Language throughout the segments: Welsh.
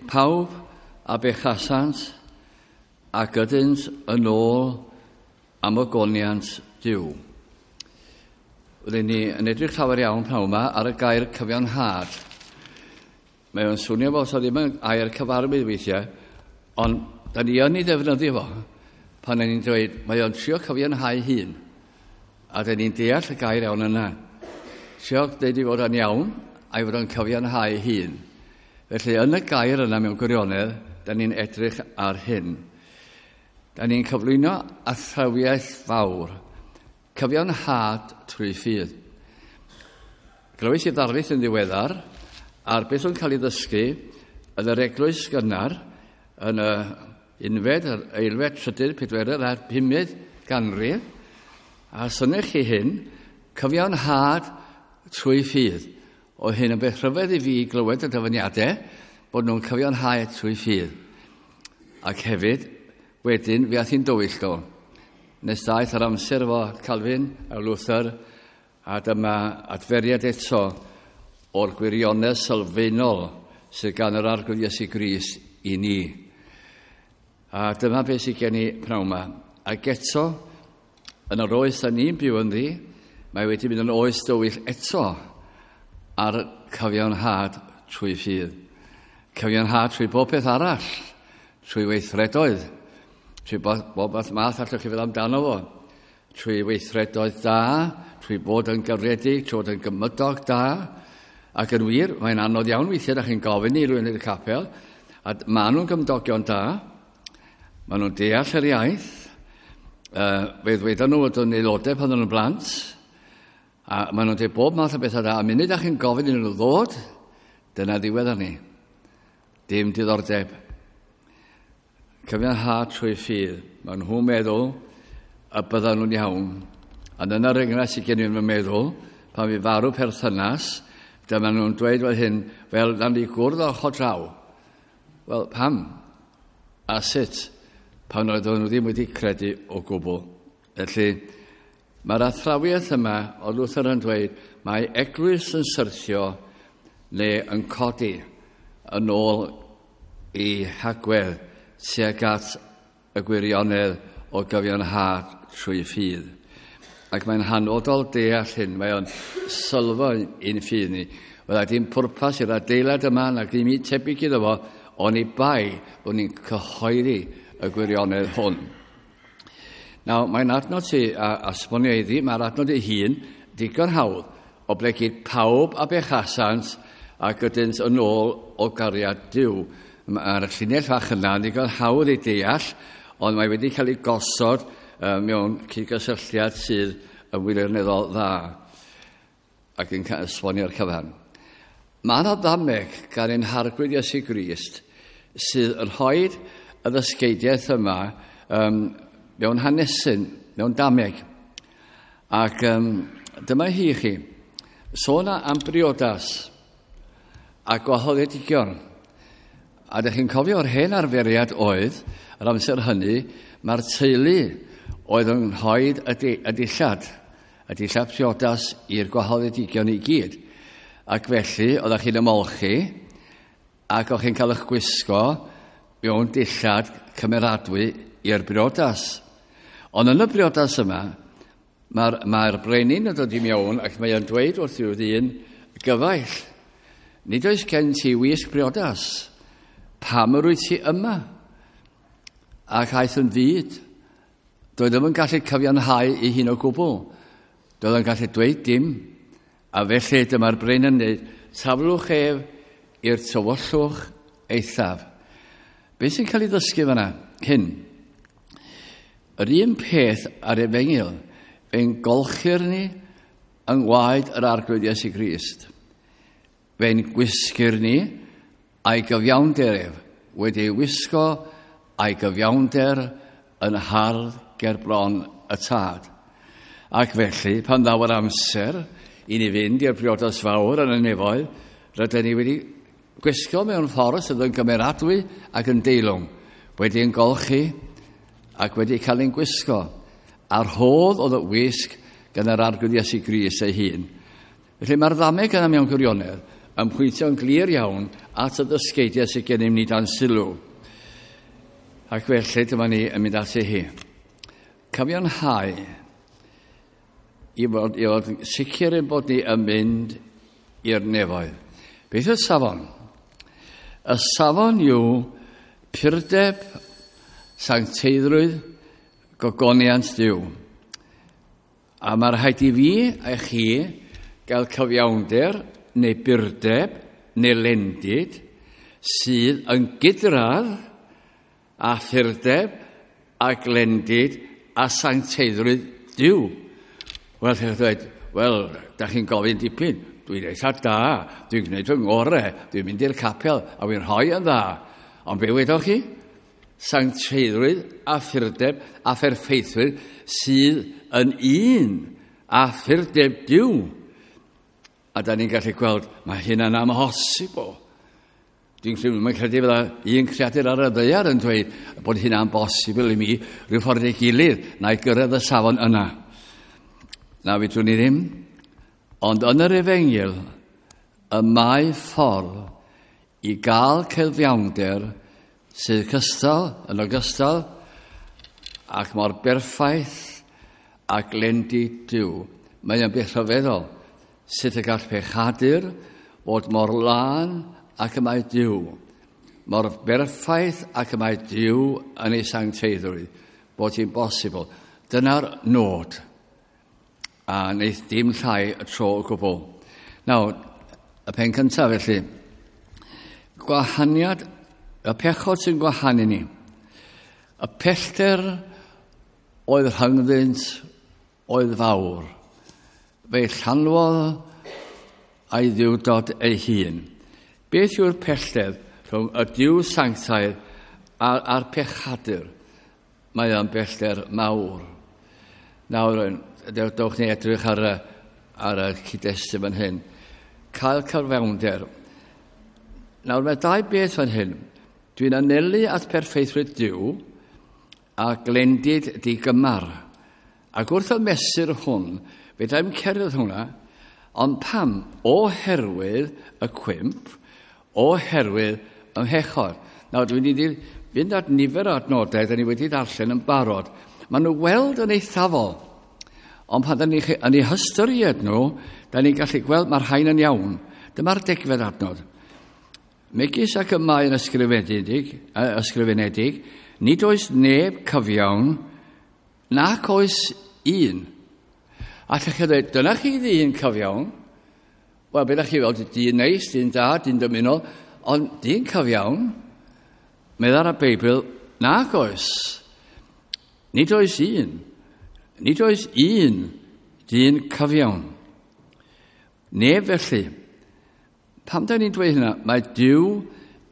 Pawb a bechasant ac ydynt yn ôl am ogoniant Duw. Rydyn ni yn edrych llawer iawn pnawn yma ar y gair cyfiawnhad. Mae o'n swnio fel sa ddim yn air cyfarwydd weithiau, ond da ni yn ei ddefnyddio fo pan ni'n dweud mae o'n trio cyfiawnhau hun. A da ni'n deall y gair iawn yna. Trio dweud i fod o'n iawn a'i fod o'n cyfiawnhau hun. Felly yn y gair yna mewn gwirionedd, da ni'n edrych ar hyn. Da ni'n cyflwyno athrawiaeth fawr, cyfiawnhad trwy ffydd. Glywais i ddarlith yn ddiweddar ar beth o'n cael ei ddysgu yn yr eglwys gynnar yn y unfed, yr eilfed, trydydd, pedwerydd a'r pumed ganrif. A synnech chi hyn, cyfiawnhad trwy ffydd. Oedd hyn yn beth rhyfedd i fi glywed y dyfyniadau bod nhw'n cyfiawnhau trwy ffydd. Ac hefyd, wedyn, fe ath hi'n dywyll do. Nes daeth yr amser efo Calvin a Luther, a dyma adferiad eto o'r gwirionedd sylfaenol sydd gan yr Arglwydd Iesu Grist i ni. A dyma beth sydd gen i pnawn yma. Ac eto, yn yr oes da ni'n byw ynddi, mae wedi mynd yn oes dywyll eto ar cyfiawnhad trwy ffydd. Cyfiawnhad trwy bob peth arall, trwy weithredoedd, trwy bob math allwch chi feddwl amdano fo, trwy weithredoedd da, trwy bod yn garedig, trwy bod yn gymydog da. Ac yn wir, mae'n anodd iawn weithiau, da chi'n gofyn i rywun yn y capel, a maen nhw'n gymdogion da, maen nhw'n deall yr iaith, fe ddweudon nhw fod yn aelodau pan nhw'n blant, a maen nhw'n dweud bob math o bethau da, a munud da chi'n gofyn iddyn nhw ddod, dyna ddiwedd arni. Dim diddordeb. Cyfiawnhad trwy ffydd. Maen nhw'n meddwl y byddan nhw'n iawn. A dyna'r enghraifft sydd gen i yn fy meddwl, pan fi farw perthynas, dyma nhw'n dweud fel hyn, fel nawn ni gwrdd ochr draw. Wel, pam? A sut? Pan oedden nhw ddim wedi credu o gwbl. Felly, mae'r athrawiaeth yma o Luther yn dweud, mae eglwys yn syrthio neu yn codi yn ôl i hagwedd tuag at y gwirionedd o gyfiawnhad trwy ffydd. Ac mae'n hanfodol deall hyn, mae o'n sylfaen i'n ffydd ni. Wel, dim pwrpas i'r adeilad yma nac ddim un tebyg iddo fo, oni bai bod ni'n cyhoeddi y gwirionedd hwn. Nawr, mae'n adnod ti a esbonio iddi, mae'r adnod ei hun digon hawdd, oblegid pawb a bechasant ac ydynt yn ôl o gariad Duw. Mae'r llinell fach yna yn ddigon hawdd ei deall, ond mae wedi cael ei gosod mewn cydgysylltiad sydd yn wirioneddol dda ac yn esbonio'r cyfan. Mae yna ddameg gan ein Harglwydd Iesu Grist sydd yn rhoi y ddysgeidiaeth yma mewn hanesyn, mewn dameg. Ac dyma hi i chi. Sôn am briodas a gwahoddedigion. A ydych chi'n cofio o'r hen arferiad oedd, yr amser hynny, mae'r teulu oedd yn rhoi y dillad, y dillad priodas i'r gwahoddedigion i gyd. Ac felly, oeddech chi'n ymolchi, ac o'ch chi'n cael eich gwisgo mewn dillad cymeradwy i'r briodas. Ond yn y briodas yma, mae'r brenin yn dod i mewn ac mae o'n dweud wrth i'w ddyn, gyfaill, nid oes gen ti wisg briodas, pam yr wyt ti yma? Ac aeth yn fud. Doedd ddim yn gallu cyfiawnhau ei hun o gwbl. Doedd yn gallu dweud dim. A felly dyma'r brenin yn dweud, taflwch ef i'r tywyllwch eithaf. Beth sy'n cael ei ddysgu fan'na? Hyn. Yr un peth ar efengyl, fe'n golchir ni yng ngwaed yr Arglwydd Iesu Grist. Fe'n gwisgir ni a'i gyfiawnder ef, wedi ei wisgo a'i gyfiawnder yn hardd ger bron y Tad. Ac felly, pan ddaw yr amser i ni fynd i'r briodas fawr yn y nefoedd, rydyn ni wedi gwisgo mewn ffordd sydd yn gymeradwy ac yn deilwng, wedi yn golchi ac wedi cael ein gwisgo. A'r rhodd oedd y wisg gan yr Arglwydd Iesu Grist ei hun. Felly mae'r ddameg yna mewn gwirionedd yn pwyntio'n glir iawn at y ddysgeidiau sydd gennym ni dan sylw. Ac felly dyma ni yn mynd ati hi. Cyfiawnhau i fod sicr ein bod ni yn mynd i'r nefoedd. Beth yw'r safon? Y safon yw purdeb, sancteiddrwydd, gogoniant Duw. A mae rhaid i fi a chi gael cyfiawnder neu burdeb neu lendid sydd yn gydradd a phurdeb a glendid a sancteiddrwydd Duw. Wel, chi'n dweud, wel, da chi'n gofyn dipyn. Dwi'n eitha da, dwi'n gwneud fy ngorau, dwi'n mynd i'r capel a dwi'n rhoi yn dda. Ond be wedoch chi? Sancteiddrwydd a phurdeb a pherffeithrwydd sydd yn un a phurdeb Duw. A da ni'n gallu gweld, mae hynna'n amhosibl. Dwi'n credu, mae'n credu fydda un creadur ar y ddaear yn dweud bod hynna'n bosibl i mi rhyw ffordd ei gilydd na i gyrraedd y safon yna. Na, fedrwn ni ddim. Ond yn yr efengyl, y mae ffordd i gael cyfiawnder sydd cystal, yn ogystal, ac mor berffaith a glendid Duw. Mae o'n beth rhyfeddol sut y gall pechadur fod mor lân ac y mae Duw, mor berffaith ac y mae Duw yn ei sancteiddrwydd, bod hi'n bosibl. Dyna'r nod. A wneith dim llai y tro o gwbl. Nawr, y pen cyntaf felly, gwahaniad, y pechod sy'n gwahanu ni. Y pellter oedd rhyngddynt oedd fawr. Fe llanwodd a'i ddiwdod ei hun. Beth yw'r pellter rhwng y Duw sanctaidd a'r pechadur? Mae o'n bellter mawr. Nawr, dewch ni edrych ar y cyd-destun fan hyn. Cael cyfiawnder. Nawr, mae dau beth fan hyn. Dwi'n anelu at perffeithrwydd Duw a glendid digymar. Ac wrth y mesur hwn, fe i'm cerdded hwnna, ond pam? Oherwydd y cwymp, oherwydd y mhechod. Nawr, dwi'n mynd i fynd at nifer o adnodau da ni wedi darllen yn barod. Maen nhw weld yn eithafol. Ond pan da ni yn eu hystyried nhw, da ni'n gallu gweld mae'r rhain yn iawn. Dyma'r 10fed adnod. Megis ac y mae yn ysgrifenedig, nid oes neb cyfiawn, nac oes un. A lle chi ddweud, dyna chi ddyn cyfiawn. Wel, beth chi weld, dyn neis, dyn da, dyn dymunol, ond dyn cyfiawn, meddai'r y Beibl, nac oes. Nid oes un. Nid oes un dyn cyfiawn. Neb felly. Pam da ni'n dweud hynna? Mae Duw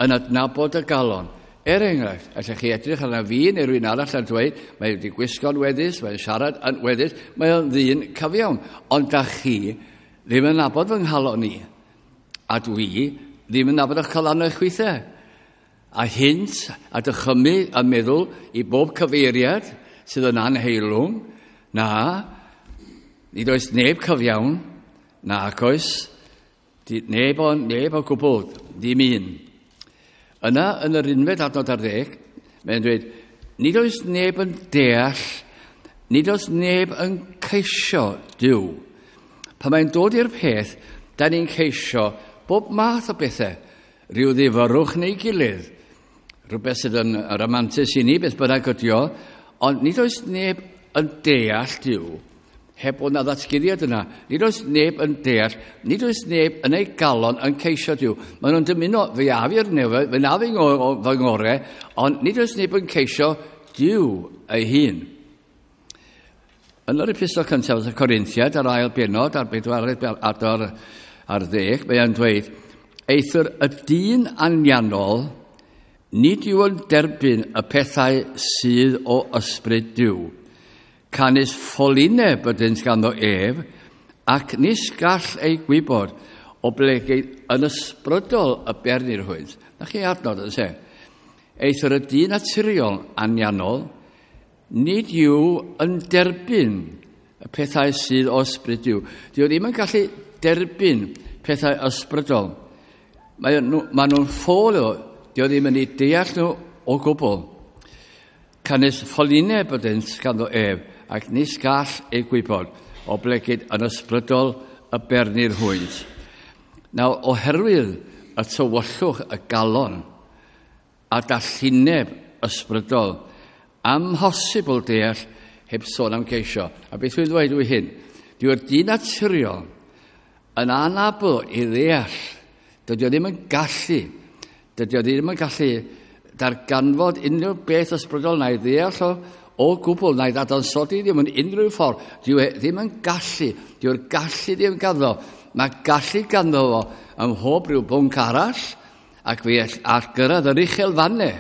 yn adnabod y galon. Er enghraifft, allech chi edrych arna fi neu rhywun arall yn dweud, mae wedi gwisgo'n weddus, mae'n siarad yn weddus, mae o'n ddyn cyfiawn. Ond da chi ddim yn nabod fy nghalon i. A dwi ddim yn nabod eich calonnau chwithau. A hynt a dychymyg a meddwl i bob cyfeiriad sydd yn anheilwng, na, nid oes neb cyfiawn, nac oes, neb o gwbl, ddim un. Yna, yn yr 11 adnod, mae'n dweud, nid oes neb yn deall, nid oes neb yn ceisio Duw. Pan mae'n dod i'r peth, da ni'n ceisio bob math o bethau, rhyw ddifyrwch neu gilydd, rhywbeth sydd yn ramantus i ni, beth bynnag ydi o, ond nid oes neb yn deall Duw, heb bod na ddatguddiad yna. Nid oes neb yn deall, nid oes neb yn ei galon yn ceisio Duw. Maen nhw'n dymuno, fe af i'r nefoedd, fe naf i fy ngorau, ond nid oes neb yn ceisio Duw ei hun. Yn yr epistol cyntaf y Corinthiad, ar ail benod, ar 14 ar ddeg, mae o'n dweud, eithr y dyn anianol, nid yw yn derbyn y pethau sydd o ysbryd Duw. Canys ffolineb ydynt ganddo ef, ac nis gall ei gwybod oblegid yn ysbrydol y bernir hwynt. Na chi adnod yn se. Eithr y dyn naturiol anianol, nid yw yn derbyn y pethau sydd o ysbryd Duw. Dyw ddim yn gallu derbyn pethau ysbrydol. Mae nhw'n ffôl o, dio ddim yn ei deall nhw o gwbl. Canys ffolineb ydynt ganddo ef, ac nis gall ei gwybod, oblegid yn ysbrydol y bernir hwynt. Nawr, oherwydd y tywyllwch y galon a dallineb ysbrydol, amhosibl deall heb sôn am geisio. A beth dwi'n dweud yw hyn? Dyw'r dyn naturiol yn anabl i ddeall. Dydy o ddim yn gallu. Dydy o ddim yn gallu darganfod unrhyw beth ysbrydol na'i ddeall o gwbl, na'i ddadansoddi ddim yn unrhyw ffordd. Dyw e ddim yn gallu. Dyw'r gallu ddim ganddo. Mae gallu ganddo fo ym mhob rhyw bwnc arall, ac fe all gyrraedd yr uchel fannau.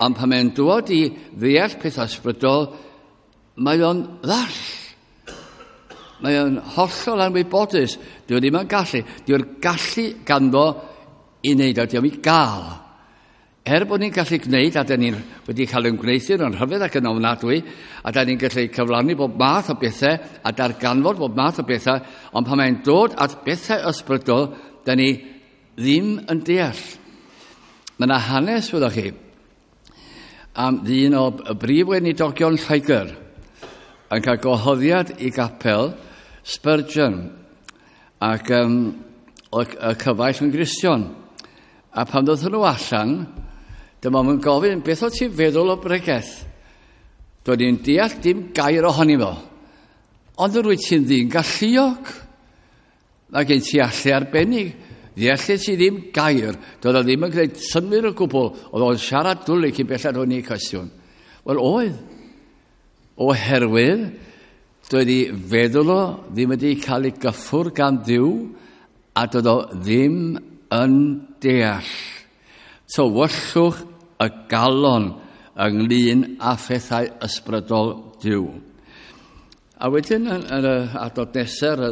Ond pan mae'n dod i ddeall pethau ysbrydol, mae o'n ddall. Mae o'n hollol anwybodus. Dyw e ddim yn gallu. Dyw'r gallu ganddo i wneud o. Dyw'n i gael. Er bod ni'n gallu gwneud, a da ni'n wedi cael yn gwneuthur yn rhyfedd ac yn ofnadwy, a da ni'n gallu cyflawni bob math o bethau, a darganfod bob math o bethau, ond pan mae'n dod at bethau ysbrydol, da ni ddim yn deall. Mae yna hanes, wyddwch chi, am ddyn o brif weinidogion Lloegr yn cael gwahoddiad i gapel Spurgeon ac y cyfaill yn Gristion. A pan ddoth nhw allan, dyma nhw'n gofyn, beth o ti'n feddwl o bregeth? Doedd ni'n deall dim gair ohoni fo. Ond yr wyt ti'n ddyn galluog. Mae gen ti allu arbennig. Ddeallu ti ddim gair. Doedd o ddim yn gwneud synnwyr o gwbl. Oedd o'n siarad dwlu cyn bellad o'n i cwestiwn. Wel, oedd. Oherwydd, doedd i feddwl o ddim wedi cael ei gyffwrdd gan Dduw, a doedd o ddim yn deall. Tywyllwch y galon ynglyn â phethau ysbrydol Duw. A wedyn yn y adnod nesaf,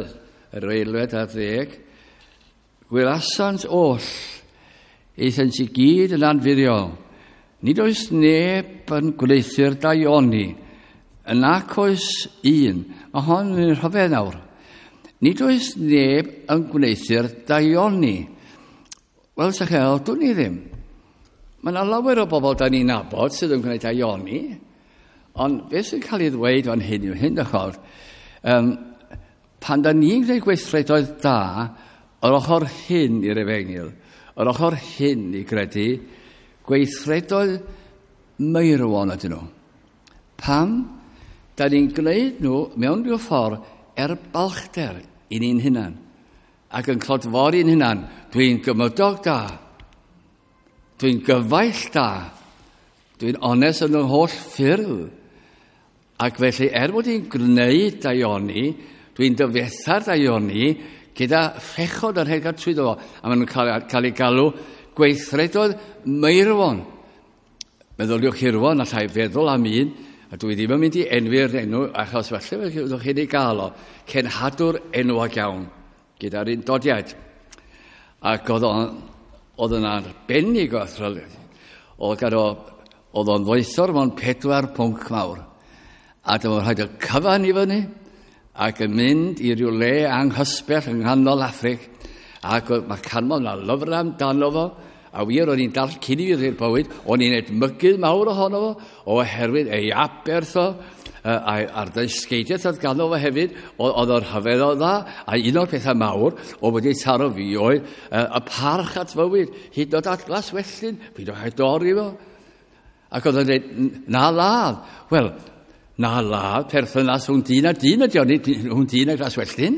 yr aelwyd ar 10, gwylasant oll, aethant i gyd yn anfuddiol. Nid oes neb yn gwneuthur daioni, yn ac oes un. Mae hon yn rhyfedd nawr. Nid oes neb yn gwneuthur daioni. Wel, sa chi, dwn i ddim. Mae yna lawer o bobl da ni'n nabod sydd yn gwneud daioni, ond beth sy'n cael ei ddweud fan hyn yw hyn, dych pan da ni'n gwneud gweithredoedd da, yr ochr hyn i'r efengyl, yr ochr hyn i gredu, gweithredoedd meirwon ydyn nhw. Pam? Da ni'n gwneud nhw mewn rhyw ffordd er balchder i ni'n hunan, ac yn clodfori'n hunan. Dwi'n gymydog da, dwi'n gyfaill da, dwi'n onest yn y holl ffyrdd. Ac felly, er bod i'n gwneud daioni, dwi'n dyfetha'r daioni gyda phechod yn rhedeg trwyddo fo. A maen nhw'n cael ei galw gweithredoedd meirwon. Meddyliwch hirwon, allai feddwl am un, a dwi ddim yn mynd i enwi'r enw, achos falle fyddwch chi'n ei gael o. Cenhadwr enwog iawn, gyda'r undodiaid. Ac oedd yn arbennig o athrylith. Oedd o'n ddoethor mewn 4 pwnc mawr. A dyma rhaid y cyfan i fyny, ac yn mynd i ryw le anghysbell yng nghanol Affrig, ac mae canmol na lyfrau amdano fo, a wir o'n i'n dall cyn i fi i'r bywyd, o'n i'n edmygu mawr ohono fo, oherwydd ei aberth o, a'r ddysgeidiaeth oedd ganddo fo hefyd, oedd o'r rhyfedd o dda, a un o'r pethau mawr o wedi taro fi oedd y parch at fywyd, hyd yn oed at glaswelltyn, peidiwch â'i dorri fo. Ac oedd o'n dweud, na ladd. Wel, na ladd, perthynas rhwng dyn a dyn ydi o, nid rhwng dyn a glaswelltyn.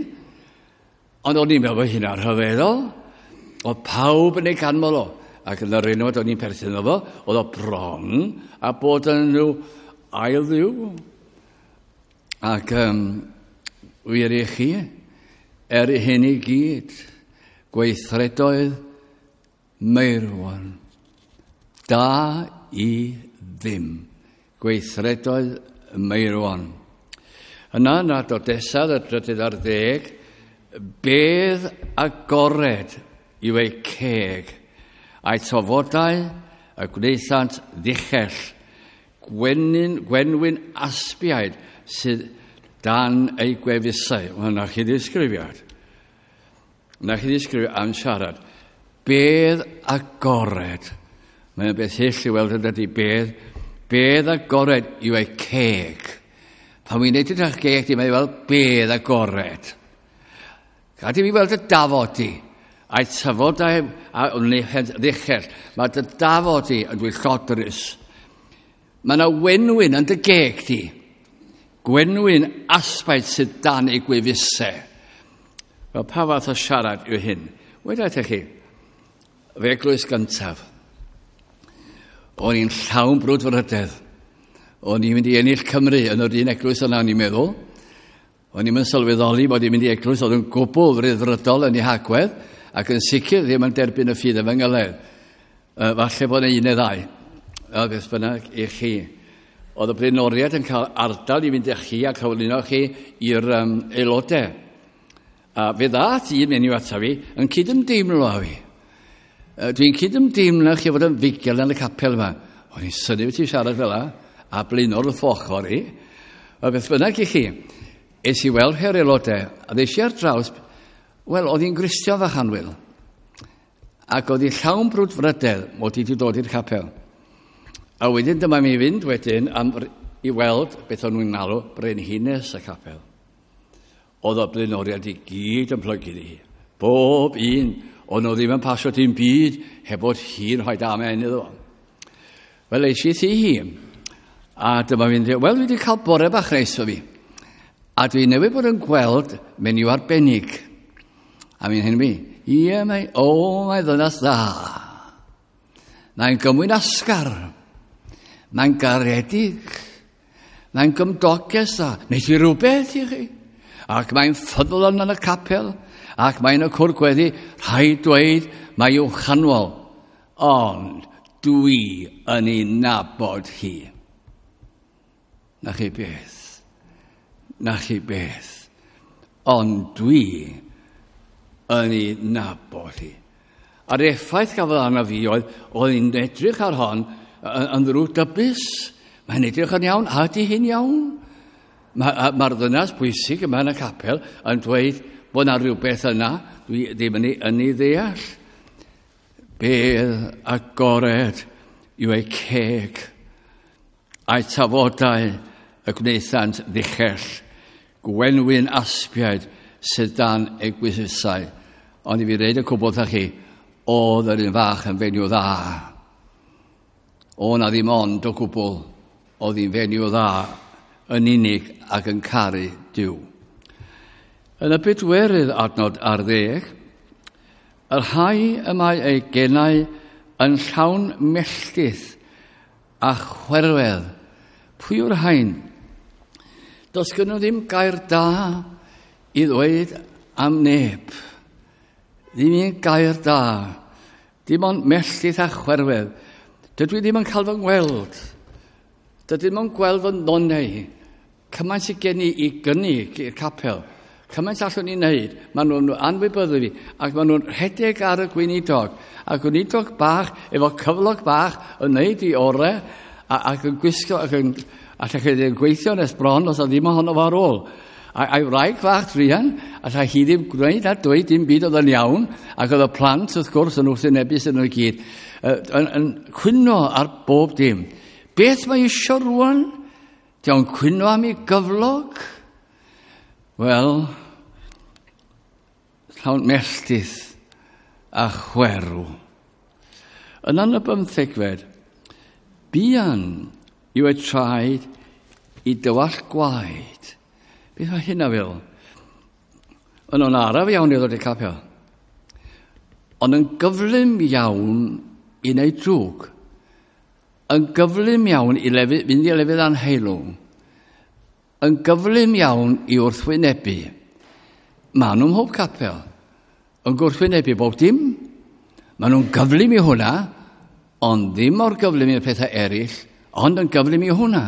Ond o'n i'n meddwl bod hynna'n rhyfeddol. Oedd pawb yn ei ganmol o. Ac yn yr enwad o'n i'n perthyn o fo, oedd o bron a bod yn nhw ail ddiw. Ac wir i chi, er hyn i gyd, gweithredoedd meirwon, da i ddim. Gweithredoedd meirwon. Yna, yn adnod nesaf, y 13, bedd agored yw eu ceg, a'i tofodau y gwnaethant ddichell, gwenwyn aspiaid sydd dan ei gwefusau. Wel, na chi ddisgrifiad. Na chi ddisgrifiad am siarad. Bedd agored. Mae'n beth hyll i weld yn dydy bedd. Bedd agored yw ei ceg. Pan wy'n edrych ar geg di, mae'n fel bedd agored. Gad i fi weld y dafod di. A'i tyfod a'i ddichell. Mae dy dafod di yn dwyllodrus. Mae yna wenwyn yn dy geg di. Gwenwyn asbaid sydd dan ei gwefusau. Wel, pa fath o siarad yw hyn? Weda i chi, fe eglwys gyntaf. O'n i'n llawn brwdfrydedd. O'n i'n mynd i ennill Cymru yn yr un eglwys yna, o'n i'n meddwl. O'n i'n sylweddoli bod i'n mynd i eglwys oedd yn gwbl ryddfrydol yn ei hagwedd ac yn sicr ddim yn derbyn y ffydd efengylaidd. Falle bod yna un neu ddau. Beth bynnag i chi. Oedd y blaenoriaid yn cael ardal i fynd â chi a cyflwyno chi i'r aelodau. A fe ddaeth un menyw ata fi yn cydymdeimlo â fi. Dwi'n cydymdeimlo chi fod yn fugel yn y capel yma. O'n i'n synnu ti siarad fel 'a, a blaenor wrth ochr i. A beth bynnag i chi, es i weld rhai'r aelodau, a ddes i ar draws, wel, oedd hi'n Gristion fach annwyl. Ac oedd hi llawn brwdfrydedd mod i wedi dod i'r capel. A wedyn dyma mi fynd wedyn am, i weld beth o'n nhw'n alw brenhines y capel. Oedd y blaenoriaid i gyd yn plygu iddi hi. Bob un, o'n nhw ddim yn pasio dim byd heb bod hi'n rhoi amen iddo fo. Wel, eis i thi hi, a dyma fi'n dweud, wel, dwi wedi cael bore bach neis o fi. A dwi newydd bod yn gweld menyw arbennig. A mi'n hyn fi, ie, mae, o, mae ddynas dda. Mae'n gymwynasgar. Mae'n garedig. Mae'n gymdoges dda. Wneith hi rhywbeth i chi. Ac mae'n ffyddlon yn y capel. Ac mae'n y cwr gweddi. Rhaid dweud, mae i'w chanwol. Ond dwi yn ei nabod hi. Na chi beth. Na chi beth. Ond dwi yn ei nabod hi. A'r effaith gafodd arno fi oedd, oedd hi'n edrych ar hon yn ddrwgdybus. Mae'n edrych yn iawn, a ydy hi'n iawn? Mae'r ma ddynas bwysig yma yn y capel yn dweud bod yna rhywbeth yna, dwi ddim yn ei, yn ei ddeall. Bedd agored yw ei ceg, a'i tafodau y gwnaethant ddichell, gwenwyn aspiaid sydd dan ei gwysysau. Ond i fi reid y cwbl wrthach chi, oedd yr un fach yn fenyw dda. O na ddim ond o gwbl, oedd hi'n fenyw dda yn unig ac yn caru Duw. Yn y bedwerydd adnod ar ddeg, y rhai y mae ei genau yn llawn melltith a chwerwedd. Pwy yw'r rhain? Does gen nhw ddim gair da i ddweud am neb. Ddim un gair da. Dim ond melltith a chwerwedd. Dydw i ddim yn cael fy ngweld. Dydw i ddim yn gweld fy nonau. Cymaint sydd gen i i gynnig i'r capel. Cymaint allwn ni wneud. Maen nhw'n anwybyddu fi. Ac maen nhw'n rhedeg ar y gweinidog. A gweinidog bach, efo cyflog bach, yn wneud i orau, ac yn gwisgo, ac yn, allai chi ddim gweithio nes bron os oedd ddim ohono fo ar ôl. A'i wraig fach druan, allai hi ddim gwneud a dweud dim byd oedd yn iawn, ac oedd y plant wrth gwrs yn wrthwynebus yn nhw i gyd, yn cwyno ar bob dim. Beth mae eisiau rwan? Di o'n cwyno am ei gyflog? Wel, llawn melltith a chwerw. Yna yn y bymthegfed, buan yw eu traed i dywallt gwaed. Beth mae hynna fel? Yn o'n araf iawn i ddod i'r capel. Ond yn gyflym iawn i wneud drwg. Yn gyflym iawn i lefydd, fynd i lefydd anheilwng. Yn gyflym iawn i wrthwynebu. Maen nhw'n mhob capel. Yn gwrthwynebu bob dim. Maen nhw'n gyflym i hwnna, ond ddim mor gyflym i'r pethau eraill, ond yn gyflym i hwnna.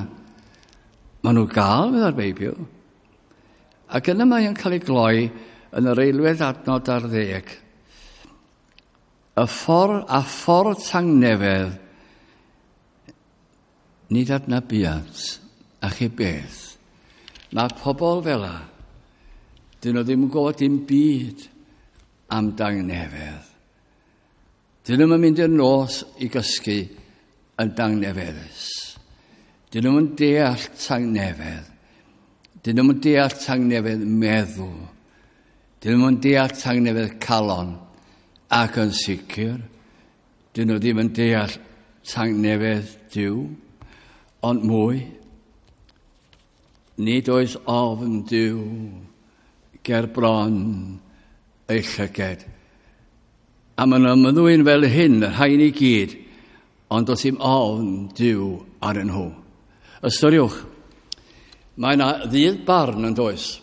Maen nhw gael, meddai'r Beibl. Ac yna mae o'n cael ei gloi yn yr eilwedd adnod ar ddeg. Y ffordd a ffordd tangnefedd, nid adnabiant, a chi beth. Mae pobl fel 'a, dyn nhw ddim yn gwybod dim byd am dangnefedd. Dyn nhw'n mynd i'r nos i gysgu yn dangnefeddus. Dyn nhw'n deall tangnefedd. Dyn nhw'n deall tangnefedd meddwl. Dyn nhw'n deall tangnefedd calon. Ac yn sicr, dyn nhw ddim yn deall tangnefedd Duw, ond mwy. Nid oes ofn Duw ger bron ei llyged. A maen nhw'n ymddwyn fel hyn, y rhain i gyd, ond does dim ofn Duw arnyn nhw. Ystyriwch, mae yna ddydd barn yn does.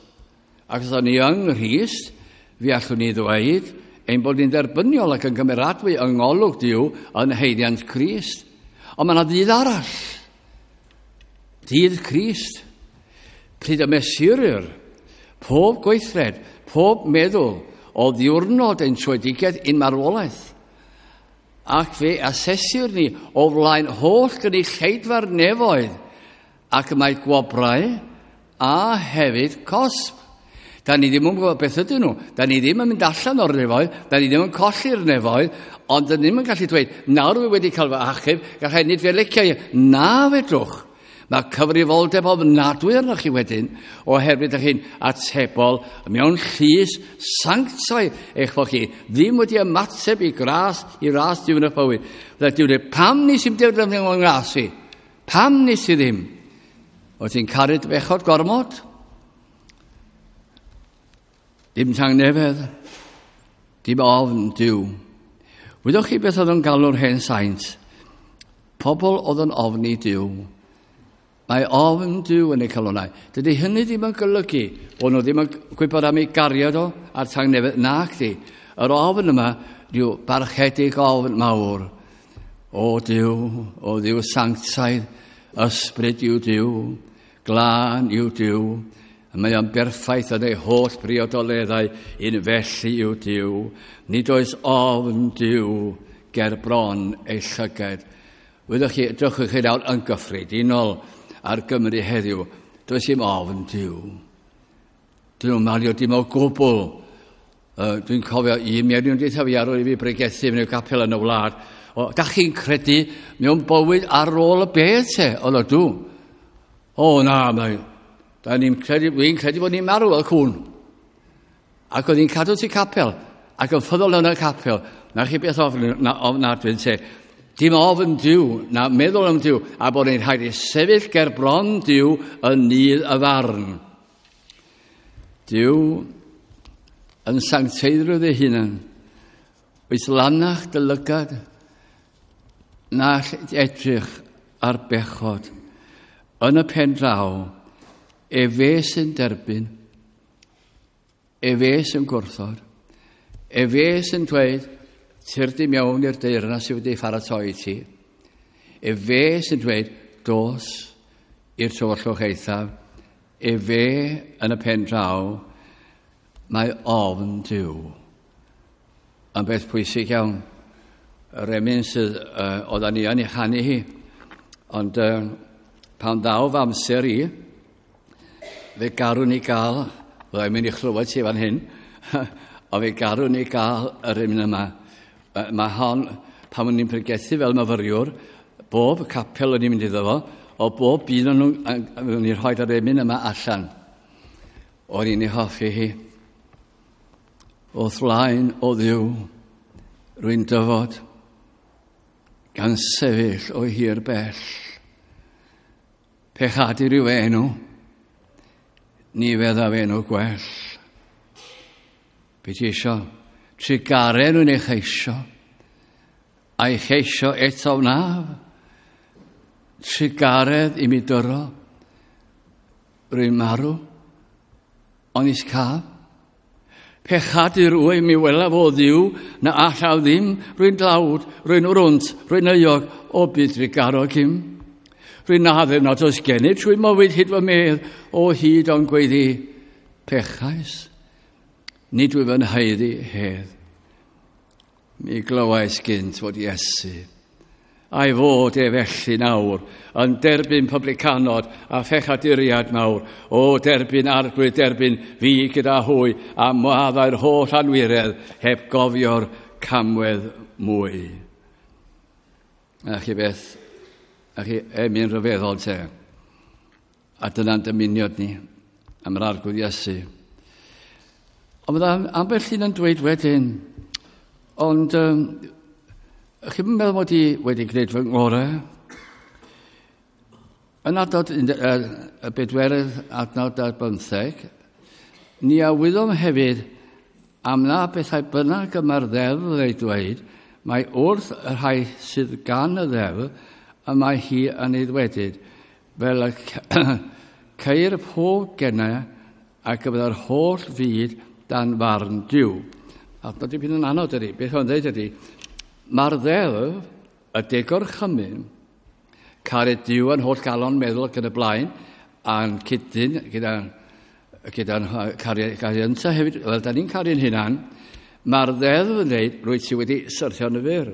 Ac os ni yng Nghrist, fi allwn ni ddweud ein bod ni'n dderbyniol ac yn gymeradwy yng ngolwg Duw yn haeddiant Crist. Ond mae yna ddydd arall. Dydd Crist. Pryd y mesurir pob gweithred, pob meddwl o ddiwrnod ein tröedigaeth i'n marwolaeth. Ac fe asesir ni o flaen holl gynulleidfa'r nefoedd, ac mae gwobrau a hefyd cosb. Da ni ddim yn gwybod beth ydyn nhw. Da ni ddim yn mynd allan o'r nefoedd, da ni ddim yn colli'r nefoedd, ond da ni ddim yn gallu dweud, nawr fi wedi cael fy achub, gallai nid fe licio i. Na fedrwch. Mae cyfrifoldeb ofnadwy arnoch chi wedyn, oherwydd ydych chi'n atebol mewn llys sanctaidd eich bod chi ddim wedi ymateb i gras, i ras Duw yn y bywyd. Fydda Duw dweud, pam nes i'm defnyddio fy ngras i? Pam nes i ddim? Wyt ti'n caru dy bechod gormod? Dim tangnefedd, dim ofn Duw. Wyddoch chi beth oedd yn galw'r hen saint? Pobl oedd yn ofni Duw. Mae ofn Duw yn eu calonnau. Dydy hynny ddim yn golygu bod nhw ddim yn gwybod am ei gariad o a'r tangnefedd. Nac di. Yr ofn yma, rhyw barchedig ofn mawr. O Duw, o Dduw sanctaidd, ysbryd yw Duw, glân yw Duw, a mae o'n berffaith yn ei holl briodoleddau, un felly yw Duw. Nid oes ofn Duw ger bron ei llyged. Wyddoch chi, edrychwch chi nawr yn gyffredinol ar Gymru heddiw, does dim ofn Duw. Dyn nhw'n malio dim o gwbl. Dwi'n cofio un mewn deitha fi ar ôl i fi bregethu mewn capel yn y wlad. O, da chi'n credu mewn bywyd ar ôl y bedd te? O, na, dw. O, na, mae. Da ni'n credu, fi'n credu bod ni'n marw fel cwn. Ac oedd hi'n cadw ti capel, ac yn ffyddol yn y capel. Na chi beth ofn, na, ofnadwy te. Dim ofn Duw, na meddwl am Duw, a bod ni'n rhaid i sefyll ger bron Duw yn nydd y farn. Duw yn sancteiddrwydd ei hunan, oes lanach dy lygad, na all edrych ar bechod. Yn y pen draw, efe sy'n derbyn, efe sy'n gwrthod, efe sy'n dweud, tyrd i mewn i'r deyrnas sydd wedi pharatoi i ti. Efe sy'n dweud, dos i'r tywyllwch eithaf. Efe yn y pen draw, mae ofn Duw. Yn beth pwysig iawn. Yr emyn sydd oedden ni yn ei chanu hi. Ond pan ddaw fy amser i, fe garwn ni gael, fyddai'n mynd i chlywed ti fan hyn, ond fe garwn ni gael yr emyn yma. Mae hon, pan o'n i'n pregethu fel myfyriwr, bob capel o'n i'n mynd iddo fo, o bob un o'n nhw'n i'n rhoi yr emyn yma allan. O'n i'n ei hoffi hi. Wrth flaen o Dduw, rwy'n dyfod, gan sefyll o hir bell. Pechadur yw enw, ni feddaf enw gwell. Be ti isio? Trugaredd nhw'n ei cheisio, a'i cheisio eto wnaf. Trugaredd i mi dyro, rwy'n marw, ond is caf. Pechadur wyf mi welaf o Dduw, na allaf ddim, rwy'n dlawd, rwy'n wrwnt, rwy'n euog, o byd trugarog im. Rwy'n addef nad oes gennyf trwy mywyd hyd fy medd, o hyd o'n gweiddi, pechais, nid wyf yn haeddu hedd. Mi glywais gynt fod Iesu, a'i fod e felly nawr, yn derbyn publicanod a phechaduriad mawr, o derbyn arglwydd, derbyn fi gyda hwy, a mwaddau'r holl anwiredd, heb gofio'r camwedd mwy. A chi beth, a chi emyn rhyfeddol te. A dyna'n dymuniad ni am yr Arglwydd Iesu. Ond bydda ambell un yn dweud wedyn, ond chi'n meddwl mod i wedi gwneud fy ngorau? Yn adnod y bedwerydd adnod ar bymtheg, ni a wyddom hefyd am na bethau bynnag y mae'r ddeddf ei dweud, mae wrth y rhai sydd gan y ddeddf y mae hi yn ei ddwedyd, fel y ceir pob gennau ac y byddai'r holl fyd dan farn Duw. Adnod dipyn yn anodd ydy. Beth o'n dweud ydy, mae'r ddeddf, y degorchymyn, caru Duw yn holl galon meddwl ac yn y blaen, a'n cydyn gyda'n gyda caru, caru ynta hefyd, fel da ni'n caru'n hunan, mae'r ddeddf yn dweud, rwyt ti wedi syrthio yn y fyr.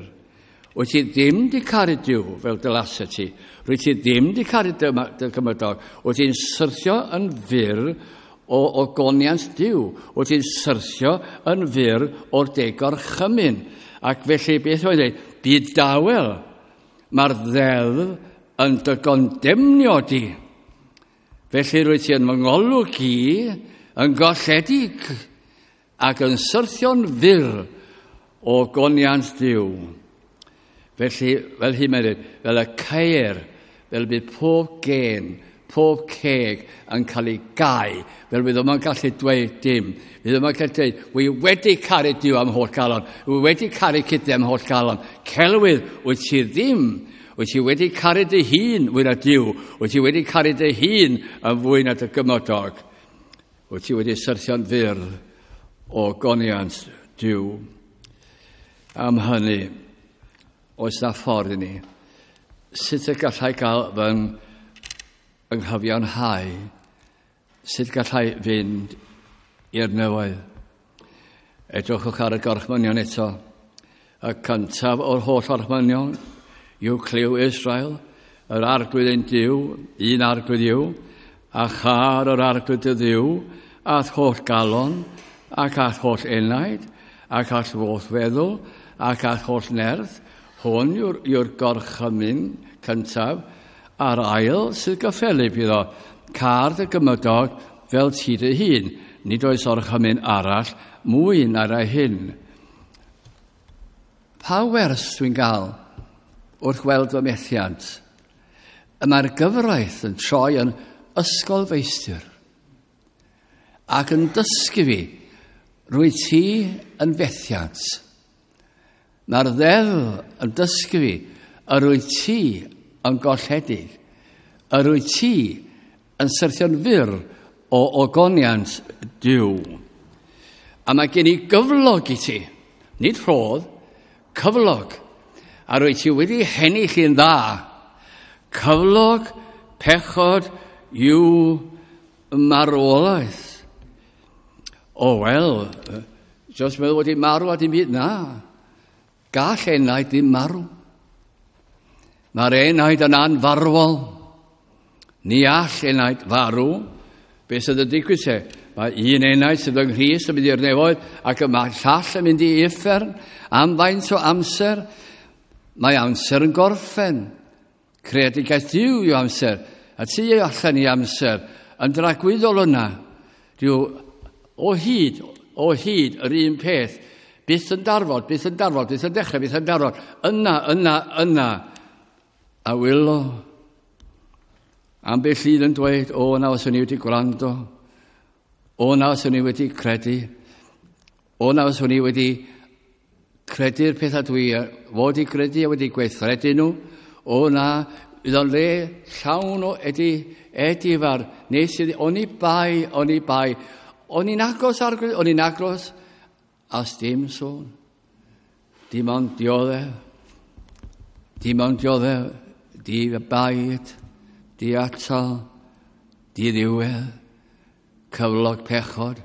Wyt ti ddim di caru Duw fel dylasa ti. Rwyt ti ddim di caru dy, dy gymydog. Wyt ti'n syrthio yn fyr o, o goniant Duw. Wyt ti'n syrthio yn fyr o'r degorchymyn. Ac felly, beth mae'n dweud? Byd dawel. Mae'r ddeddf yn dy gondemnio di. Felly rwyt ti yn fy ngolwg i, yn golledig ac yn syrthio'n fyr o goniant Duw. Felly, fel hyn mae'n dweud, fel y ceir, fel bydd pob gen, pob ceg yn cael ei gau, fel bydd yma'n gallu dweud dim. Bydd yma'n gallu dweud, wy wedi caru Duw am holl galon, wy wedi caru cydau am holl galon. Celwydd, wyt ti ddim. Wyt ti wedi caru dy hun fwy na Duw. Wyt ti wedi caru dy hun yn fwy na dy gymodog. Wyt ti wedi syrthio'n fyr o goniant Duw. Am hynny, oes na ffordd i ni. Sut y gallai gael fy nghyfiawnhau? Sut gallai fynd i'r nefoedd? Edrychwch ar y gorchmynion eto. Y cyntaf o'r holl orchmynion yw clyw Israel, yr arglwydd ein Duw, un arglwydd yw, a char yr arglwydd dy Dduw, a'th holl galon, ac a'th holl enaid, ac a'th holl feddwl, ac a'th holl nerth. Hwn yw'r, yw gorchymyn cyntaf, a'r ail sydd gyffelyb iddo, car dy gymydog fel ti dy hun. Nid oes orchymyn arall mwy na'r rai hyn. Pa wers dwi'n gael wrth weld fy methiant? Y mae'r gyfraith yn troi yn ysgol feistr ac yn dysgu fi, rwy ti yn fethiant. Mae'r ddeddf yn dysgu fi, yr wyt ti yn golledig, yr wyt ti yn syrthio'n fyr o ogoniant Duw. A mae gen i gyflog i ti, nid rhodd, cyflog. A rwy ti wedi hennill i'n dda. Cyflog, pechod, yw marwolaeth. O wel, just meddwl wedi marw a dim byd, na. Gall enaid ddim marw. Mae'r enaid yn anfarwol. Ni all enaid farw. Be sydd yn digwydd se? Mae un enaid sydd yng Nghrist yn mynd i'r nefoedd ac y mae llall yn mynd i uffern am faint o amser. Mae amser yn gorffen. Creadigaeth Duw yw amser. A ti yw allan i amser. Yn dragwyddol yna. Dyw o hyd, o hyd yr un peth. Byth yn darfod, byth yn darfod, byth yn dechrau, byth yn darfod. Yna, yna, yna. A wylo. Ambell un yn dweud, o na os o'n i wedi gwrando. O na os o'n i wedi credu. O na os o'n i wedi credu'r pethau dwi fod i gredu a wedi gweithredu nhw. O na, fydd o'n le llawn o edi, edifar. Nes i, o'n i bai, o'n i bai. O'n i'n agos ar, o'n i'n agos, as dim sôn. Dim ond dioddef. Dim ond dioddef. Di baid, di atal, di ddiwedd, cyflog pechod,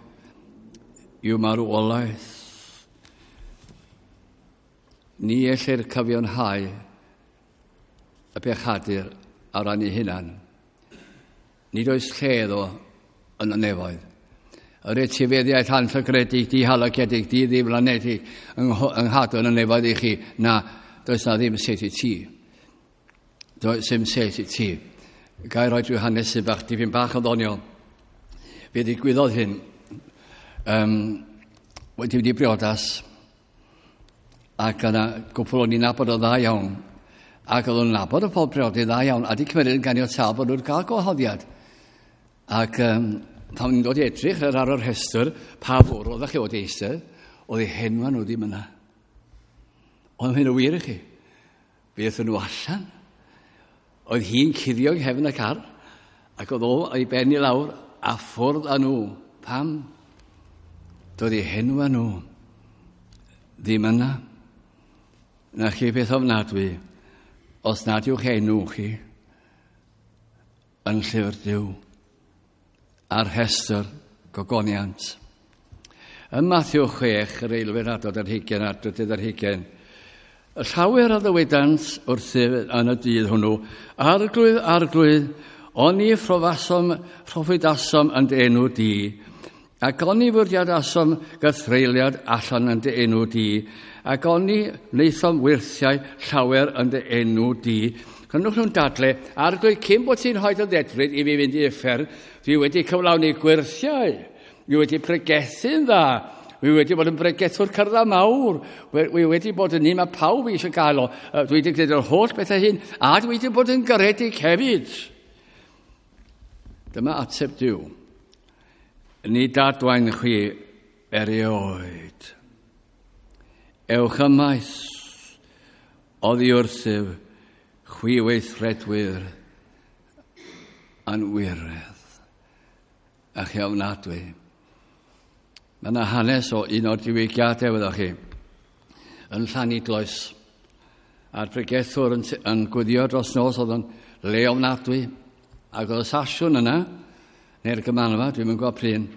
yw marwolaeth. Ni ellir cyfiawnhau y pechadur ar ran ei hunan. Nid oes lle iddo yn y nefoedd. Yr etifeddiaeth anllygredig, dihalogedig, di-ddiflanedig yng nghadw yn y nefoedd i chi. Na, does na ddim set i ti. Does ddim set i ti. Gai roi drwy hanes sy'n bach, dipyn bach o ddoniol. Fe ddigwyddodd hyn. Wedi wedi briodas, ac yna gwpl o'n i'n nabod o dda iawn, ac oedd o'n nabod y pob priodi dda iawn, a di cymryd yn ganiatáu bod nhw'n cael gwahoddiad. Ac pan ni'n dod i edrych ar yr rhestr, pa fwrdd oeddech chi wedi eistedd, oedd eu henwa nhw ddim yna. Ond hyn o wir i chi. Fe aethon nhw allan. Oedd hi'n cuddio yng nghefn y car, ac oedd o ei ben i lawr a ffwrdd â nhw. Pam? Doedd eu henwa nhw ddim yna. Na chi beth ofnadwy, os nad yw'ch enw chi yn llyfr Duw a'r rhestr gogoniant. Ym Matthew 6, yr eilfed adnod ar hugain a'r drydydd ar hugain, y llawer a ddywedant wrthyf yn y dydd hwnnw, Arglwydd, Arglwydd, oni phrofasom, proffwydasom yn dy enw di, ac oni fwriadasom gythreuliad allan yn dy enw di, ac oni wnaethom wyrthiau llawer yn dy enw di. Cynnwch nhw'n dadle, Arglwydd, cyn bod ti'n rhoi dy ddedfryd i fi fynd i uffern, dwi wedi cyflawni gwyrthiau, dwi wedi pregethu'n dda, dwi wedi bod yn bregethwr cyrra mawr, dwi wedi bod yn un mae pawb eisiau gael o, dwi wedi gwneud yr holl bethau hyn, a dwi wedi bod yn garedig hefyd. Dyma ateb Duw. Ni dadwain chwi erioed. Ewch ymaith oddi wrthyf chwi weithredwyr anwiredd a chi ofnadwy. Mae yna hanes o un o'r diwygiadau, wyddoch chi, yn Llanidloes. A'r pregethwr yn, yn gwyddio dros nos oedd yn le ofnadwy. Ac oedd y sasiwn yna, neu'r gymanfa, dwi'n mynd gwybod pryn,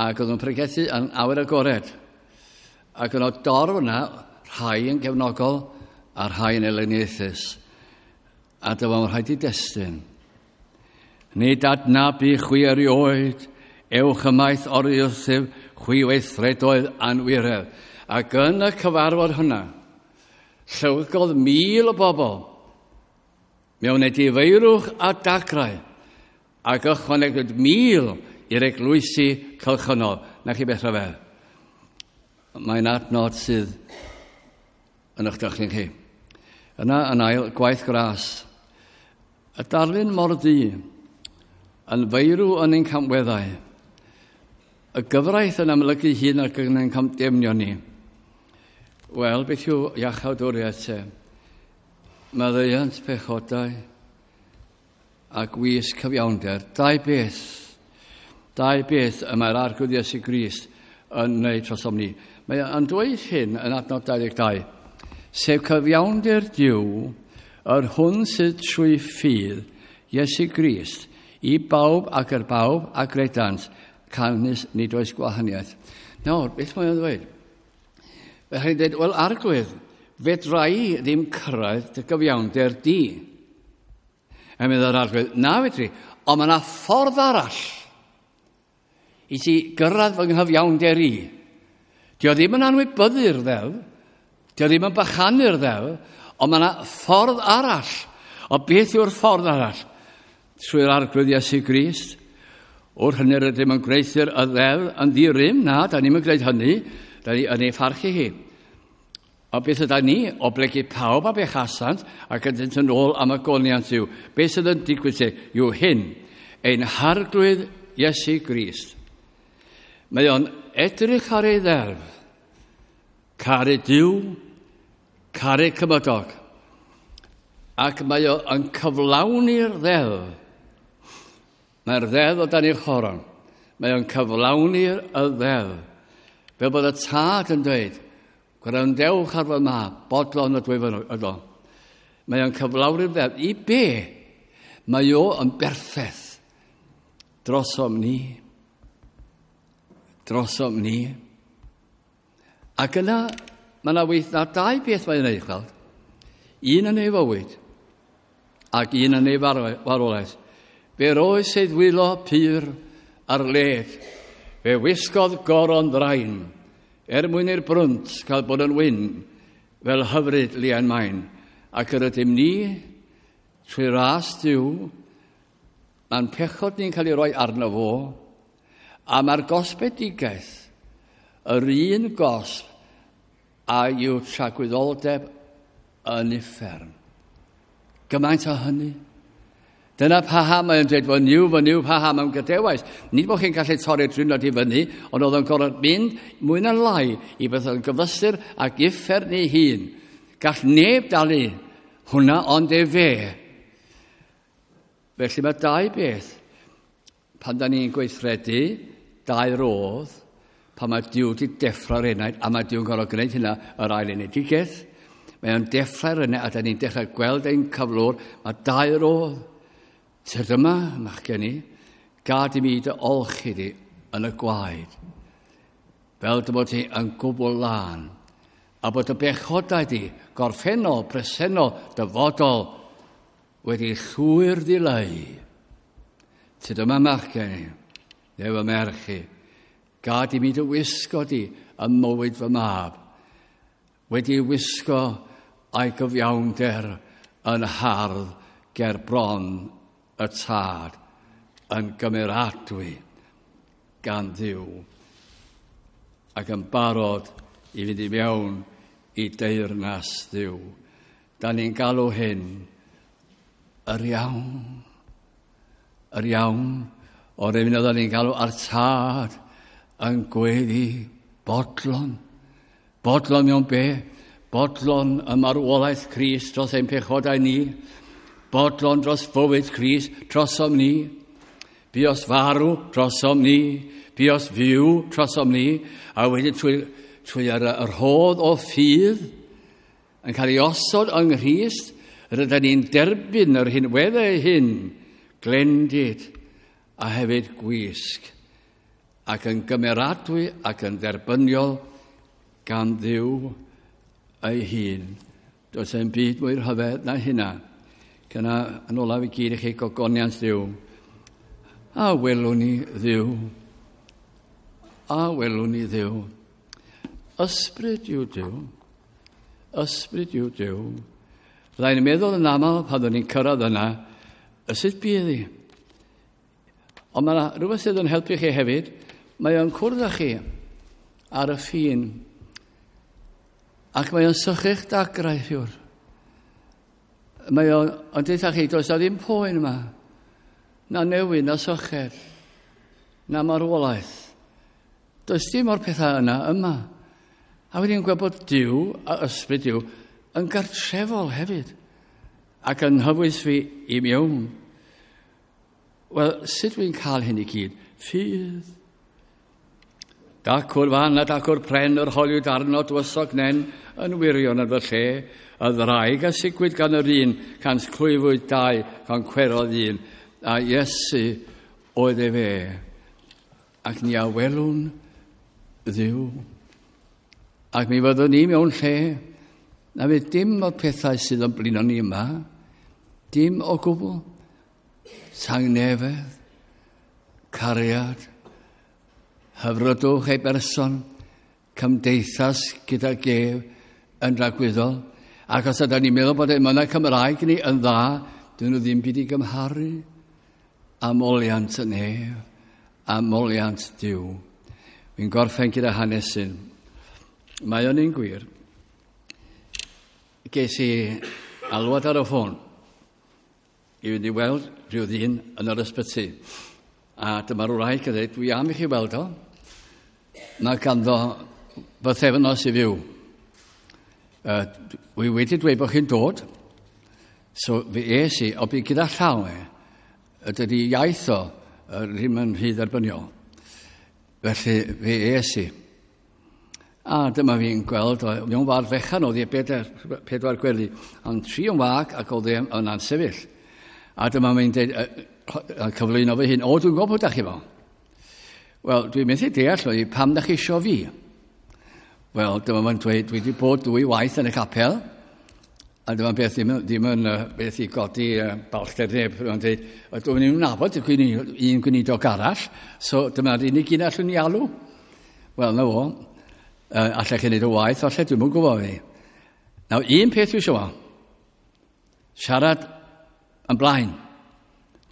ac oedd yn pregethu yn awyr agored. Ac yn o dorf yna, rhai yn gefnogol a rhai yn elyniaethus. A dyma rhaid i destun. Nid adnabu chwi erioed, ewch ymaith o'r wrthyf, chwi weithredoedd anwiredd. Ac yn y cyfarfod hwnna, llywygodd 1,000 o bobl mewn edifeirwch a dagrau, ac ychwanegwyd 1,000 i'r eglwysi cylchynol. Na chi beth rhyfedd. Mae'n adnod sydd yn eich dychryn chi. Yna yn ail, gwaith gras. Y darlun mor ddu, yn feirw yn ein camweddau. Y gyfraith yn amlygu hun ac yn ein camdemnio ni. Wel, beth yw iachawdwriaeth te? Maddeuant pechodau a gwys cyfiawnder. Dau beth. Dau beth y mae'r Arglwydd Iesu Grist yn wneud trosom ni. Mae yn dweud hyn yn adnod 22. Sef cyfiawnder Duw, yr hwn sydd trwy ffydd Iesu Grist, i bawb ac yr bawb a gredant, canys nid oes gwahaniaeth. Nawr, beth mae'n ddweud? Fe chi'n dweud, wel, Arglwydd, fedra i ddim cyrraedd dy gyfiawnder di. A mynd yr Arglwydd, na fedri, ond mae yna ffordd arall i ti gyrraedd fy nghyfiawnder i. Dio ddim yn anwybyddu'r ddeddf, dio ddim yn bychanu'r ddeddf, ond mae yna ffordd arall. O beth yw'r ffordd arall? Trwy'r Arglwydd Iesu Grist. Wrth hynny rydym yn gweithio'r y ddeddf yn ddi-rym, na, da ni'n gwneud hynny, da ni yn ei pharchu hi. O beth yda ni, o blegid pawb a bechasant ac ydynt yn ôl am y goniant yw. Beth sydd yn digwydd te yw hyn, ein Harglwydd Iesu Grist. Mae o'n edrych ar ei ddeddf, caru Duw, caru cymydog, ac mae o'n cyflawni'r ddeddf. Mae'r ddeddf o dan ei choron. Mae o'n cyflawni'r y ddeddf. Fel bod y tad yn dweud, gwrandewch ar fy mab, bodlon ydw i ydw. Mae o'n cyflawni'r ddeddf. I be? Mae o yn berffaith drosom ni. Drosom ni. Ac yna, mae yna weith na dau beth mae'n ei weld. Un yn ei fywyd ac un yn ei farwolaeth. Fe roes ei ddwylo pur ar led. Fe wisgodd goron ddrain, er mwyn i'r brwnt cael bod yn wyn, fel hyfryd lian main. Ac yr ydym ni, trwy ras Duw, mae'n pechod ni'n cael ei roi arno fo, a mae'r gosbedigaeth, yr un gosb a yw tragwyddoldeb yn uffern. Gymaint o hynny. Dyna paham mae'n dweud, fy niw, fy niw, paham am gadewais. Nid bod chi'n gallu torri'r drwy'n i fyny, ond oedd o'n gorfod mynd mwy na lai i beth yn gyfysur ac uffern ei hun. Gall neb dalu hwnna ond efe. Felly mae dau beth. Pan da ni'n gweithredu, dau rodd, pan mae Duw wedi deffro'r enaid, a mae Duw'n gorfod gwneud hynna yr ail enedigaeth, mae o'n deffro'r enaid, a da ni'n dechrau gweld ein cyflwr, mae dau rodd. Tyd yma, machgen i, gad i mi dy olchi di yn y gwaed, fel dy bod ti yn gwbl lân, a bod y bechodau di, gorffennol, presennol, dyfodol, wedi llwyr ddileu. Tyd yma, machgen i, neu fy merch i, gad i mi dy wisgo di ym mywyd fy mab, wedi wisgo a'i gyfiawnder yn hardd ger bron y tad yn gymeradwy gan Dduw ac yn barod i fynd i mewn i deyrnas Dduw. Da ni'n galw hyn yr iawn. Yr iawn o'r un oedden ni'n galw ar tad yn gweddi bodlon. Bodlon mewn be? Bodlon y marwolaeth Crist dros ein pechodau ni. Bodlon dros fywyd Crist drosom ni. Buos farw drosom ni. Buos fyw drosom ni. A wedyn trwy yr rhodd o ffydd yn cael ei osod yng Nghrist, rydyn ni'n derbyn yr hinweddau hyn, glendid a hefyd gwisg, ac yn gymeradwy ac yn dderbyniol gan Dduw ei hun. Does e'n byd mwy rhyfedd na hynna. Cyna yn olaf i gyd i chi gogoniant Dduw. A welwn ni Dduw. A welwn ni Dduw. Ysbryd yw Duw. Ysbryd yw Duw. Fyddai'n meddwl yn aml pan oeddwn ni'n cyrraedd yna, y sut bydd hi? Ond mae yna rhywbeth sydd yn helpu chi hefyd. Mae o'n cwrdd â chi ar y ffin. Ac mae o'n sychu'ch dagrau, rhywr. Mae o'n dweud chi, does na ddim poen yma. Na newid, na syched, na marwolaeth. Does dim o'r pethau yna yma. A wedyn gweld bod Duw a ysbryd Duw yn gartrefol hefyd. Ac yn hyfwys fi i mewn. Wel, sut dwi'n cael hyn i gyd? Ffydd. Dacw'r fan a dacw'r pren yr holiwyd arno dywysog nen yn wirion yn fy lle. Y ddraig a sigwyd gan yr un, cant clwyfwyd dau, gan cwerodd un. A Iesu oedd efe. Ac ni a welwn Dduw. Ac mi fyddwn ni mewn lle na fydd dim o'r pethau sydd yn blino ni yma, dim o gwbl. Tangnefedd, cariad, hyfrydwch ei berson, cymdeithas gyda gef yn dragwyddol. Ac os ydyn ni'n meddwl bod emynau Cymraeg ni yn dda, dyn nhw ddim byd i gymharu â moliant y nef, a moliant Duw. Fi'n gorffen gyda hanesyn. Mae o'n un gwir. Ges i alwad ar y ffôn i fynd i weld rhyw ddyn yn yr ysbyty. A dyma'r wraig yn dweud, dwi am i chi weld o. Mae ganddo bythefnos i fyw. Wi wedi dweud bod chi'n dod, so fe es i, o bu gyda llaw e, dydy iaith o ddim yn rhy dderbyniol. Felly fe es i. A dyma fi'n gweld, mewn ward fechan oedd e pedwar gwely, ond tri yn wag ac oedd e yn ansefyll. A dyma fi'n dweud, cyflwyno fy hun, o, dwi'n gwybod pwy da chi fo. Wel, dwi'n methu deall oedd pam da chi isio fi. Wel, dyma fo'n dweud, dwi wedi bod dwy waith yn y capel, A dyma beth ddim, ddim yn beth i godi balchder neb. Mae'n dweud, dwi'n ni'n nabod un gweinidog arall, so dyma'r unig un allwn ni alw. Wel, na fo, allech chi wneud o waith, falle dwi'n mwyn gwybod fi. Nawr, un peth dwi eisiau fo, siarad yn blaen.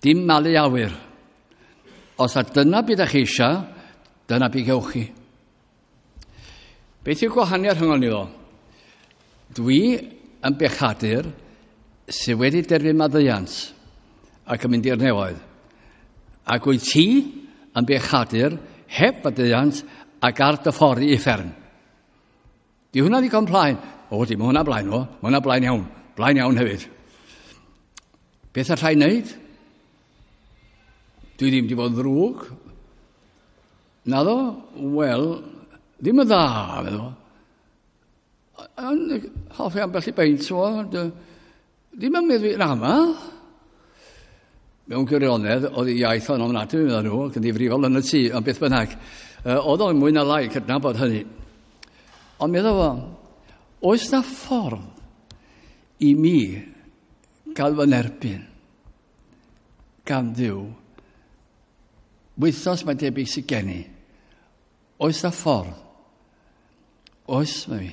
Dim malu awyr. Os a dyna beth ydych chi eisiau, dyna beth gewch chi. Beth yw'r gwahaniaeth rhwng ni ddo? Dwi yn bechadur sydd wedi derbyn maddeuant ac yn mynd i'r nefoedd. Ac wyt ti yn bechadur heb faddeuant ac ar dy ffordd i uffern. Di hwnna ddigon plaen? O, di, mae hwnna blaen o. Mae hwnna blaen iawn. Blaen iawn hefyd. Beth allai wneud? Dwi ddim wedi bod yn ddrwg. Naddo? Wel, ddim yn dda, meddwl. Yn hoffi ambell i beint, o. Ddim yn meddwl yn aml. Mewn gwirionedd, oedd ei iaith o'n ofnadwy, meddwl nhw, ac yn ddifrifol yn y tŷ, ond beth bynnag. Oedd o'n mwy na lai cydnabod hynny. Ond meddwl fo, oes na ffordd i mi gael fy nerbyn gan Dduw? Wythnos mae'n debyg sydd gen i. Oes na ffordd? Oes, mae fi.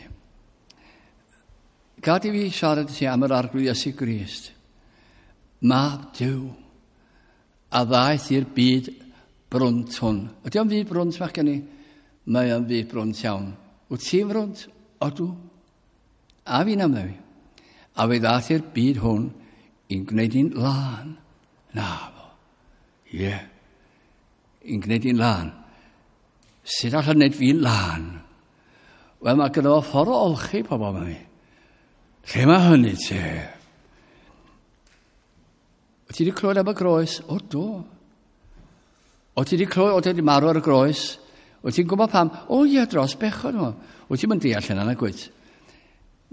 Gad i fi siarad i ti am yr Arglwydd Iesu Grist. Mab Duw a ddaeth i'r byd brwnt hwn. Ydy o'n fyd brwnt, mach gen i? Mae o'n fyd brwnt iawn. Wyt ti'n frwnt? Odw. A fi'n am ddewi. A fe ddaeth i'r byd hwn i'n gwneud i'n lân. Na fo. Ie. Yeah. I'n gwneud i'n lân. Sut allan wneud fi'n lân? Wel, mae gyda fo ffordd o olchi pobl yma mi. Lle mae hynny te? Wyt ti wedi clywed am y groes? O, do. O, ti wedi clywed, o, ti wedi marw ar y groes? Wyt ti'n gwybod pam? O, ie, dros bechod nhw. Wyt ti'n mynd deall hynna, nag wyt?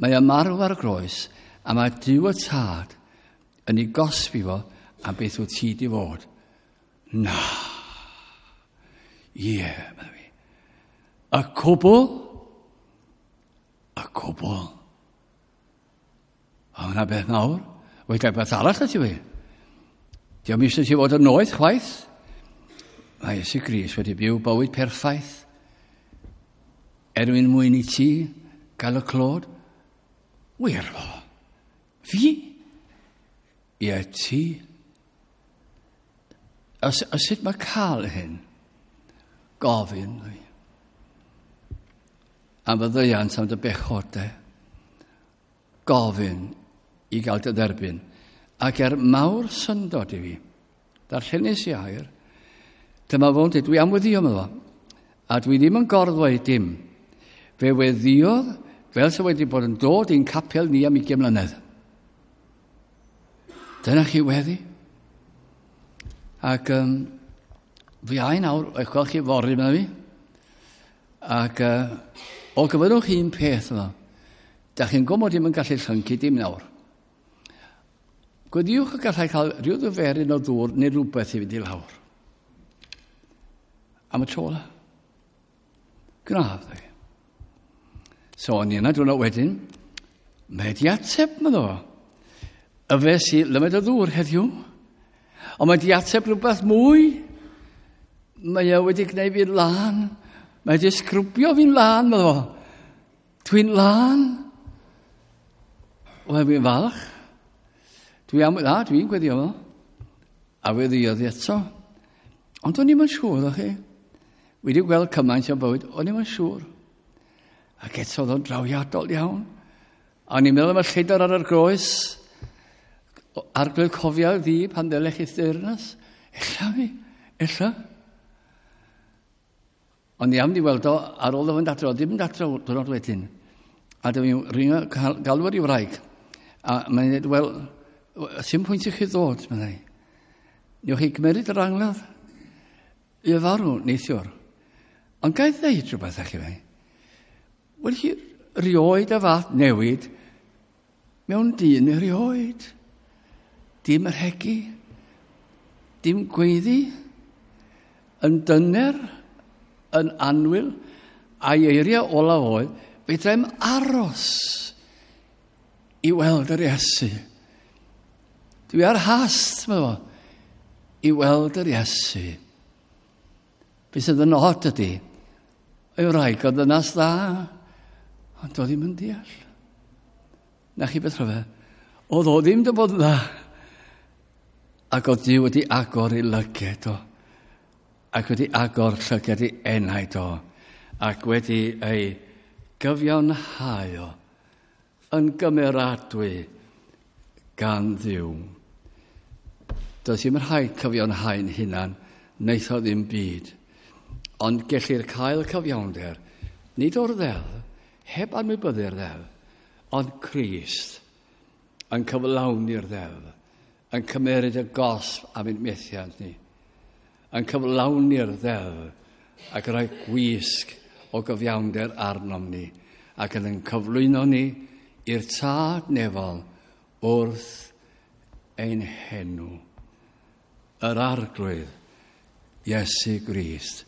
Mae o'n marw ar y groes, a mae Duw y Tad yn ei gosbi fo am beth wyt ti di fod. Na. Ie, yeah, meddwl fi. Y cwbl, y cwbl. O, yna beth nawr. Wedi beth arall y ti fi. Diolch eisiau ti fod yn noeth chwaith. Mae Iesu Grist wedi byw bywyd perffaith. Er mwyn mwyn i ti gael y clod. Wir fo. Fi? Ie, ti. A, a sut mae cael hyn? Gofyn. Am fyddeuant am dy bechodau. Gofyn i gael dy dderbyn. Ac er mawr syndod i fi, darllenis i air, dyma fo'n dweud, dwi am weddio, meddwl, a dwi ddim yn gorddweud dim. Fe weddiodd fel sydd wedi bod yn dod i'n capel ni am 20 mlynedd. Dyna chi weddi. Ac fi ai nawr, eich gweld chi fory, meddwl fi. Ac o gyfynnwch un peth yma. Da chi'n gwybod mod i'm yn gallu llyncu dim nawr. Gweddiwch y gallai cael rhyw ddyferyn o ddŵr neu rhywbeth i fynd i lawr. Am y tro la. Gnaf, dwi. So, o'n i yna diwrnod wedyn, mae di ateb, meddo fo. Y fe sy lymed o ddŵr heddiw. Ond mae di ateb rhywbeth mwy. Mae e wedi gwneud fi'n lân. Mae di sgrwbio fi'n lân, meddo fo. Dwi'n lân. Wel, fi'n falch. Dwi'n gweddio fo. A weddiodd i eto. Ond o'n i'm yn siŵr, ddech chi. Wedi gweld cymaint o bywyd, o'n i'm yn siŵr. Ac eto oedd o'n drawiadol iawn. A o'n i'n meddwl am y lleidr ar y groes. Arglwydd cofio ddi pan ddelech i'th deyrnas. Ella fi, ella. Ond i am di weld o ar ôl o fynd adro, ddim yn adro diwrnod wedyn. A dwi'n ringo galw ar ei wraig. A mae'n dweud, wel, sy'n pwynt i chi ddod, meddai. Newch chi gymeryd yr angladd i farw neithiwr. Ond gael ddeud rhywbeth â chi fe. Wel, hi rioed y fath newid mewn dyn erioed. Dim rhegi, dim gweiddi, yn dyner, yn annwyl, a'i eiriau olaf oedd, fedrai'm aros i weld yr Iesu. Dwi ar hast, meddwl fo, i weld yr Iesu. Be sydd yn od ydy, ei wraig o ddynas dda, ond doedd ddim yn deall. Na chi beth rhyfedd, oedd o ddim dy bod dda. Ac oedd Duw wedi agor ei lyged o, ac wedi agor llyged ei enaid o, ac wedi ei gyfiawnhau o, yn gymeradwy gan Dduw. Does ddim rhaid cyfiawnhau'n hunan, wnaeth o ddim byd. Ond gellir cael cyfiawnder, nid o'r ddeddf, heb anwybyddu'r ddeddf, ond Crist yn cyflawni'r ddeddf, yn cymeryd y gosb am ein methiant ni, yn cyflawni'r ddeddf ac rhoi gwisg o gyfiawnder arnom ni, ac yn cyflwyno ni i'r Tad nefol wrth ein henw. Yr Arglwydd, Iesu Grist.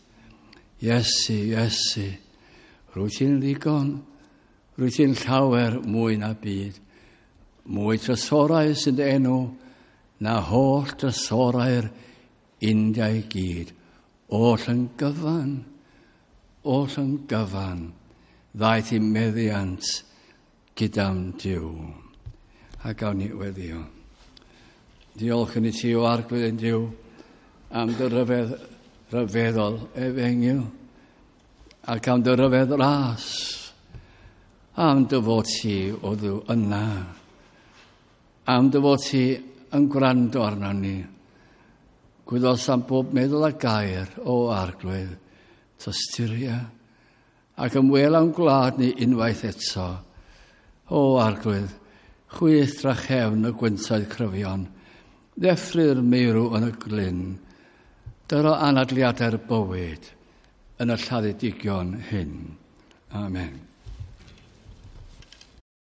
Iesu, Iesu, rwyt ti'n ddigon, rwyt ti'n llawer mwy na byd. Mwy trysorau sy'n dy enw na holl drysorau'r India i gyd. Oll yn gyfan, oll yn gyfan, ddaeth i meddiant gyda'm Duw. A gawn ni weddio. Diolch yn i ti o Arglwydd ein Duw am dy ryfedd ryfeddol efengyl ac am dy ryfedd ras am dy fod ti o Dduw yna am dy fod ti yn gwrando arno ni. Gwyddos am bob meddwl a gair o Arglwydd, tosturia, ac ymwel â'n gwlad ni unwaith eto. O Arglwydd, chwyth drachefn y gwyntoedd cryfion, ddeffry'r meirw yn y glyn, dyro anadliadau'r bywyd yn y lladdedigion hyn. Amen.